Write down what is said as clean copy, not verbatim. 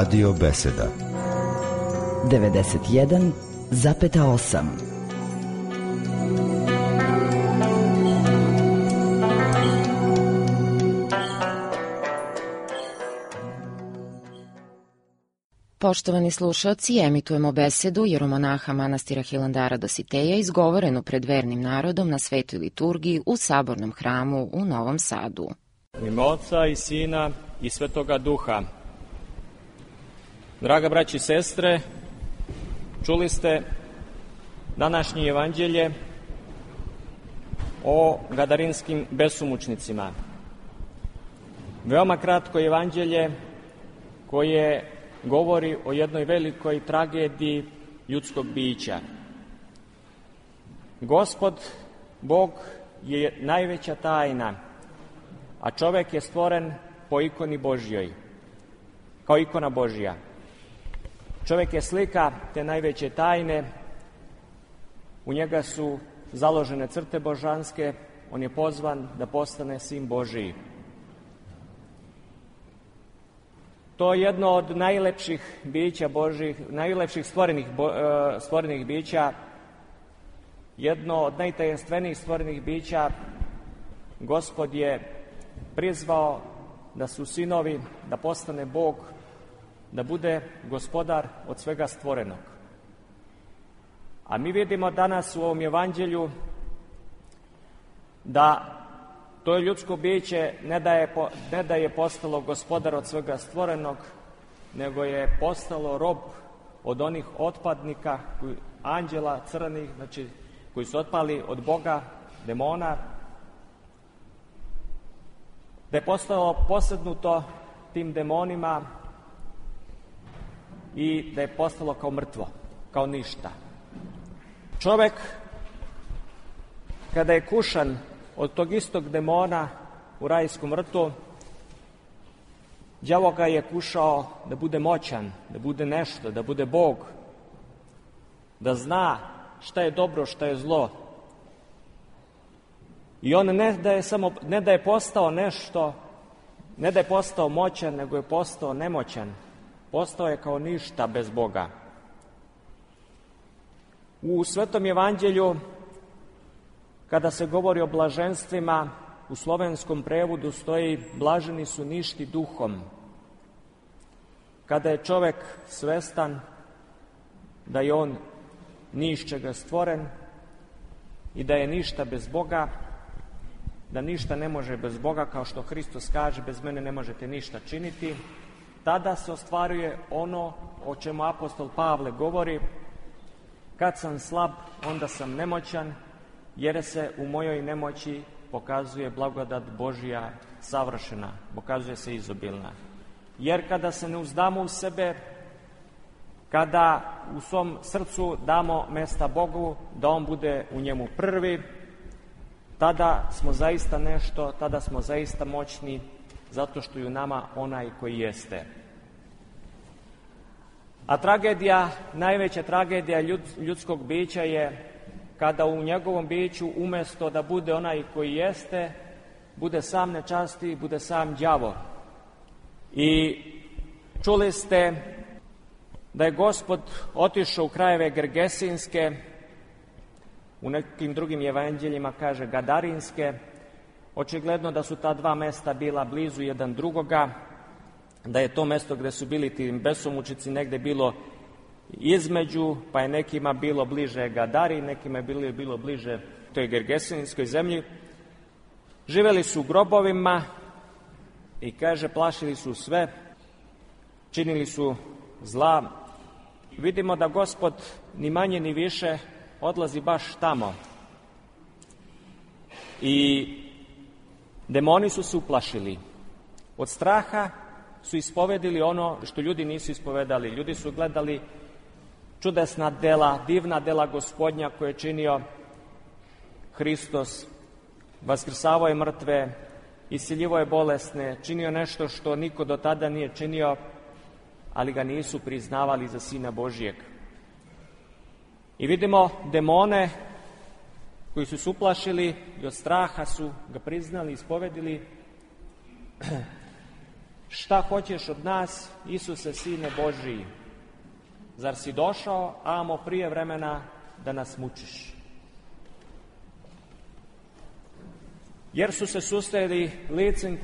Radio Beseda 91,8. Poštovani slušaoci, emitujemo besedu jeromonaha manastira Hilandara Dositeja izgovorenu pred vernim narodom na svetoj liturgiji u Sabornom hramu u Novom Sadu. U ime Oca i Sina i Svetoga Duha. Draga braći i sestre, čuli ste današnje evanđelje o gadarinskim besumučnicima. Veoma kratko evanđelje koje govori o jednoj velikoj tragediji ljudskog bića. Gospod, Bog, je najveća tajna, a čovek je stvoren po ikoni Božjoj, kao ikona Božja. Čovek je slika te najveće tajne, u njega su založene crte božanske, on je pozvan da postane sin Božiji. To je jedno od najlepših bića Božjih, najlepših stvorenih bića, jedno od najtajenstvenijih stvorenih bića. Gospod je prizvao da su sinovi, da postane Bog, da bude gospodar od svega stvorenog. A mi vidimo danas u ovom evanđelju da to ljudsko biće ne da je postalo gospodar od svega stvorenog, nego je postalo rob od onih otpadnika, anđela crnih, znači koji su otpali od Boga, demona, da je postalo posednuto tim demonima i da je postalo kao mrtvo, kao ništa. Čovek, kada je kušan od tog istog demona u rajskom vrtu, đavo ga je kušao da bude moćan, da bude nešto, da bude Bog, da zna šta je dobro, šta je zlo. I on ne da je postao nešto, ne da je postao moćan, nego je postao nemoćan. Postao je kao ništa bez Boga. U Svetom evanđelju, kada se govori o blaženstvima, u slovenskom prevodu stoji blaženi su ništi duhom. Kada je čovek svestan da je on ni iz čega stvoren i da je ništa bez Boga, da ništa ne može bez Boga, kao što Hristos kaže, bez mene ne možete ništa činiti, tada se ostvaruje ono o čemu apostol Pavle govori: kad sam slab, onda sam nemoćan, jer se u mojoj nemoći pokazuje blagodat Božja savršena, pokazuje se izobilna. Jer kada se ne uzdamo u sebe, kada u svom srcu damo mesta Bogu, da On bude u njemu prvi, tada smo zaista nešto, tada smo zaista moćni, zato što je u nama onaj koji jeste. A tragedija, najveća tragedija ljudskog bića je kada u njegovom biću umesto da bude onaj koji jeste, bude sam nečasti, bude sam đavo. I čuli ste da je Gospod otišao u krajeve Gergesinske, u nekim drugim evanđeljima kaže Gadarinske. Očigledno da su ta dva mesta bila blizu jedan drugoga, da je to mesto gde su bili ti besomučici negde bilo između, pa je nekima bilo bliže Gadari, nekima je bilo bliže toj Gergesinskoj zemlji. Živeli su u grobovima i kaže plašili su sve, činili su zla. Vidimo da Gospod ni manje ni više odlazi baš tamo. I demoni su se uplašili. Od straha su ispovedili ono što ljudi nisu ispovedali. Ljudi su gledali čudesna dela, divna dela Gospodnja koje je činio Hristos. Vaskrsavao je mrtve, isceljivo je bolesne, činio nešto što niko do tada nije činio, ali ga nisu priznavali za Sina Božijeg. I vidimo demone koji su se uplašili i od straha su ga priznali, ispovedili. šta hoćeš od nas, Isuse, Sine Božiji? Zar si došao, amo prije vremena, da nas mučiš? Jer su se susreli licem k